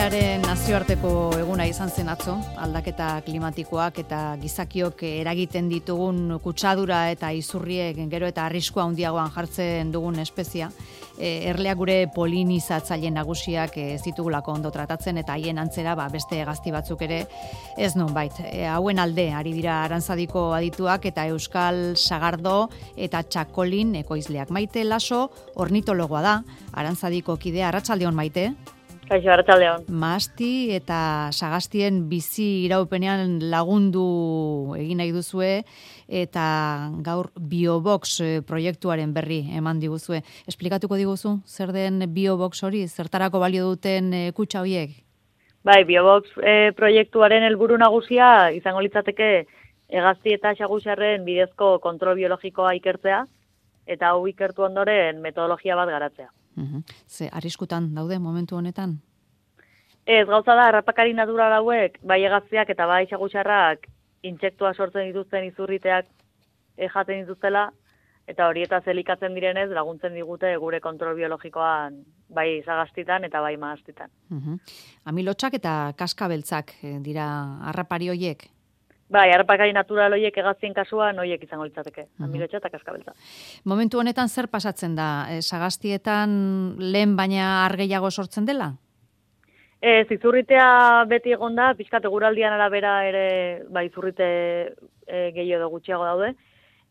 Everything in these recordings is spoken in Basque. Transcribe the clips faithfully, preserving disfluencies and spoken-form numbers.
Biodibertsitatearen nazioarteko eguna izan zen atzo, aldaketa klimatikoak eta gizakiok eragiten ditugun kutsadura eta izurriek gero eta arriskua handiagoan jartzen dugun espezia. E, erleak gure polinizatzaile nagusiak ez ditugulako ondo tratatzen eta haien antzera ba, beste hegazti batzuk ere ez nonbait. E, hauen alde ari dira Arantzadiko adituak eta Euskal Sagardo eta Txakolin ekoizleak. Maite Laso ornitologoa da, Arantzadiko kidea. Arratsaldeon, Maite. Kaixo, arratsaldeon. Mahasti eta sagastien bizi iraupenean lagundu egin nahi duzue eta gaur Biobox proiektuaren berri eman diguzue. Esplikatuko diguzu zer den Biobox hori, zertarako balio duten kutxa horiek? Bai, Biobox e, proiektuaren helburu nagusia izango litzateke hegazti eta xagusarren bidezko kontrol biologikoa ikertzea eta hau ikertu ondoren metodologia bat garatzea. Uhum. Ze arriskutan daude momentu honetan? Ez, gauza da, harrapakari natural hauek, bai hegaztiak eta bai xagusarrak intsektua sortzen dituzten izurriteak jaten dituztela, eta horietaz elikatzen direnez laguntzen digute gure kontrol biologikoan bai zagastitan eta bai mahastitan. Uhum. Amilotxak eta kaskabeltzak dira harrapari hoiek? Bai, harrapakari natural horiek hegaztien kasuan horiek izango litzateke, uh-huh. Amilotxa eta kaskabeltza. Momentu honetan zer pasatzen da? E, sagastietan lehen baina argeiago sortzen dela? Ez, izurritea beti egon da, pixkat eguraldian arabera ere ba, izurrite e, gehiago edo gutxiago daude,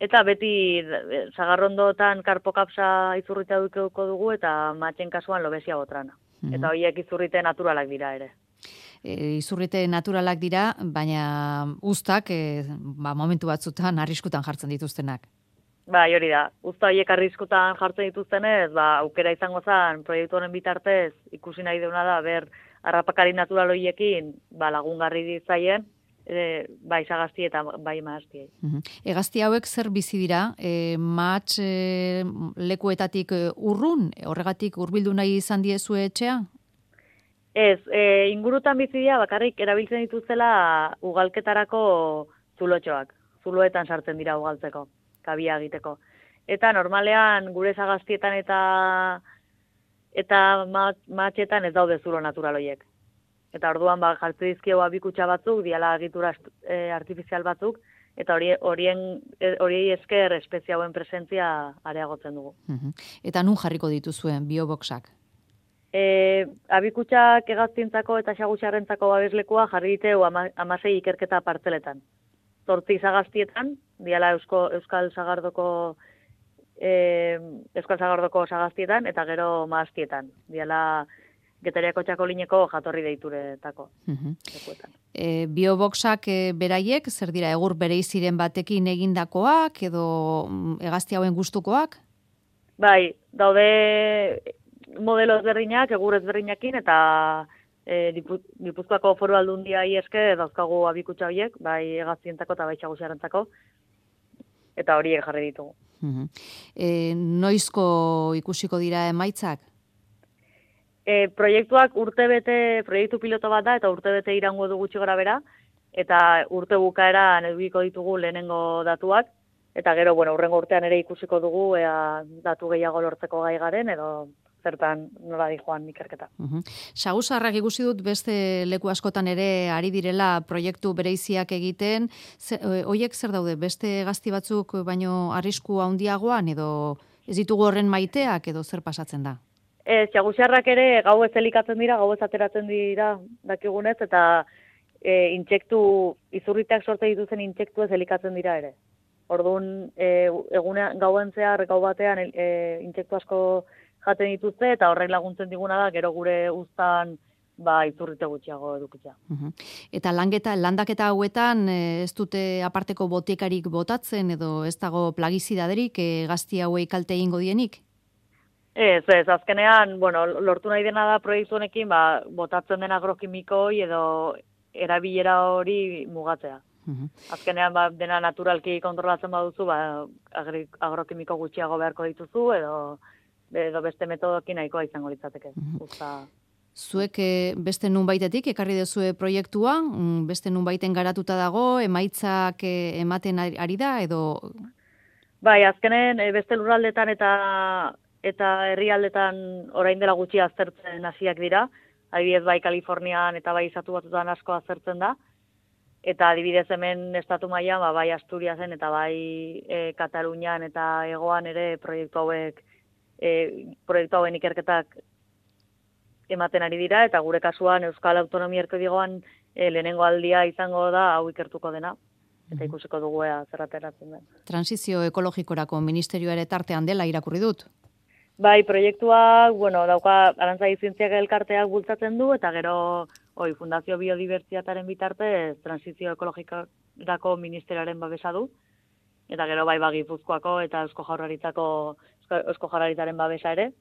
eta beti e, sagarrondotan karpokapsa izurritea dukeuko dugu eta matxen kasuan lobesia botrana. Uh-huh. Eta horiek izurrite naturalak dira ere. E, izurrite naturalak dira, baina uztak e, ba, momentu batzutan arriskutan jartzen dituztenak. Bai, hori da. Uzta horiek arriskutan jartzen dituztenez, ba, aukera izango zen proiektu honen bitartez ikusi nahi deuna da, ber harrapakari natural horiekin ba, lagungarri ditzaien, e, bai sagasti eta bai mahastiei. Uh-huh. Hegazti hauek zer bizi dira? E, matx e, lekuetatik urrun, horregatik hurbildu nahi izan diezue etxea? Ez, e, ingurutan bizi dira bakarrik erabiltzen dituztela ugalketarako zulotxoak. Zuloetan sartzen dira ugaltzeko, kabia egiteko. Eta normalean gure sagastietan eta eta matxetan ez daude zulo natural horiek. Eta orduan ba jartze dizkiegu abikutxa batzuk, diala egitura e, artifizial batzuk, eta hori horien horiei esker espezie hauen presentzia areagotzen dugu. Uh-huh. Eta nun jarriko dituzuen Bioboxak? E, abikutxak hegaztientzako eta xagusarrentzako babeslekua jarri diteu ama, amasei ikerketa partzeletan. Zortzi sagastietan, diala Eusko, Euskal Sagardoko e, Euskal Sagardoko sagastietan eta gero mahastietan. Diala Getariako Txakolineko jatorri deituretako. Uh-huh. E, Bioboxak e, beraiek, zer dira, egur bereiziren batekin egindakoak edo hegazti hauen gustukoak? Bai, daude modelo ezberdinak, egur ezberdinakin, eta e, Gipuzkoako Foru Aldundiai eske dauzkagu abikutxa horiek, bai hegaztientzako eta bai xagusarrentzako, eta horiek jarri ditugu. Uh-huh. E, noizko ikusiko dira emaitzak? E, proiektuak urtebete, proiektu piloto bat da, eta urtebete irango du gutxi gora bera, eta urte bukaeran edukiko ditugu lehenengo datuak, eta gero, bueno, urrengo urtean ere ikusiko dugu, ea datu gehiago lortzeko gai garen, edo zertan nola di joan ikerketa. Uh-huh. Sagusarrak ikusi dut beste leku askotan ere ari direla proiektu bereiziak egiten. Hoiek zer daude, beste gazti batzuk baino arrisku handiagoan edo ez ditugu horren maiteak edo zer pasatzen da? Ez, xagusarrak ere gau ez elikatzen dira, gau ez ateratzen dira dakigunez, eta e, intsektu, izurriteak sorte dituzen intsektu ez elikatzen dira ere. Orduan, e, egunean, gauen zehar, gau batean e, intsektu asko jaten dituzte, eta horrek laguntzen diguna da, gero gure uztan ba, izurrite gutxiago edukitzea. Uh-huh. Eta langeta, landaketa hauetan ez dute aparteko botiekarik botatzen, edo ez dago plagizidaderik e, gazti hauei kalte egingo dienik? Ez, ez, azkenean, bueno, lortu nahi dena da proiektu honekin, ba, botatzen den agrokimikoi edo erabilera hori mugatzea. Uh-huh. Azkenean, ba, dena naturalki kontrolatzen baduzu, ba, agrokimiko gutxiago beharko dituzu, edo, edo beste metodokin nahikoa izango litzateke. Uh-huh. Usta... Zuek beste nunbaitetik ekarri duzue proiektua, beste nunbaiten garatuta dago, emaitzak ematen ari da, edo... Bai, azkenen beste lurraldetan eta eta herrialdetan orain dela gutxi aztertzen hasiak dira, adibidez bai Kalifornian eta bai Estatu Batuetan asko azertzen da, eta adibidez hemen estatu mailan ba, bai Asturiasen eta bai e, Katalunian eta Hegoan ere proiektu hauek e, proiektu hauen ikerketak ematen ari dira, eta gure kasuan Euskal Autonomia Erkidegoan e, lehenengo aldia izango da hau ikertuko dena, eta ikusiko dugu ea zer ateratzen den. Transizio ekologikorako ministerioa ere tartean dela irakurri dut. Bai, proiektua, bueno, dauka Arantzadi Zientziak elkarteak bultzatzen du, eta gero hoi, Fundazio Biodibertsitatearen bitartez transizio ekologikorako ministerioaren babesa du, eta gero bai ba Gipuzkoako eta Eusko Jaurlaritzako Eusko Jaurlaritzaren babesa ere,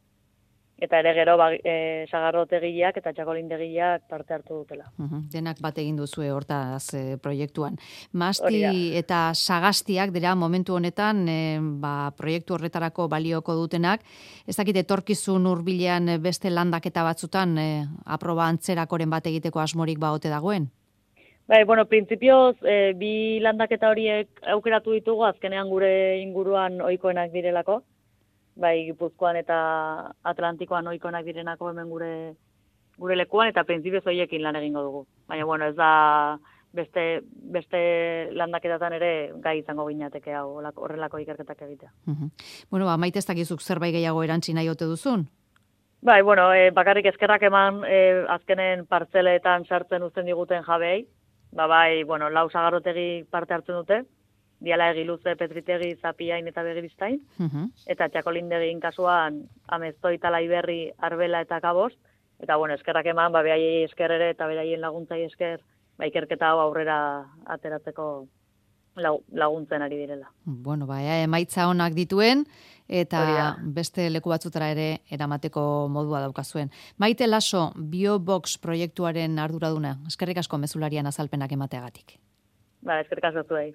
eta ere gero ba, e, sagardotegiak eta txakolindegiak parte hartu dutela. Uhum, denak bat egin duzue hortaz e, proiektuan. Masti eta sagastiak dira momentu honetan e, ba, proiektu horretarako balioko dutenak. Ez dakit etorkizun hurbilean beste landaketa batzutan e, aproba antzerakoren bat egiteko asmorik baote dagoen? Bai, bueno, printzipioz e, bi landaketa horiek aukeratu ditugu azkenean gure inguruan ohikoenak direlako. Bai, Gipuzkoan eta Atlantikoan ohikoenak direnako hemen gure gure lekuan, eta printzipioz horiekin lan egingo dugu. Baina, bueno, ez da beste, beste landaketatan ere gai izango ginateke hau horrelako ikerketak egitea. Uh-huh. Bueno, ba, Maite ez dakizuk zerbait gehiago erantzi nahi ote duzun? Bai, bueno, e, bakarrik eskerrak eman e, azkenen partzeletan sartzen uzten diguten jabeei. Ba, bai, bueno, lau sagarrotegi parte hartzen dute. Diala Egiluze, Petritegi, Zapiain eta Begiristain, uh-huh. eta Txakolindegin kasuan Ameztoi, Talaiberri, Arbela eta Kabost, eta bueno, eskerrak eman, ba, behaiei esker ere eta beraien laguntzai esker, ba, ikerketa hau aurrera ateratzeko laguntzen ari direla. Bueno, ba, emaitza onak dituen, eta beste leku batzutara ere eramateko modua daukazuen. Maite Laso, BioBox proiektuaren arduraduna, eskerrik asko mezularian azalpenak emateagatik. Ba, eskerrik asko zuei.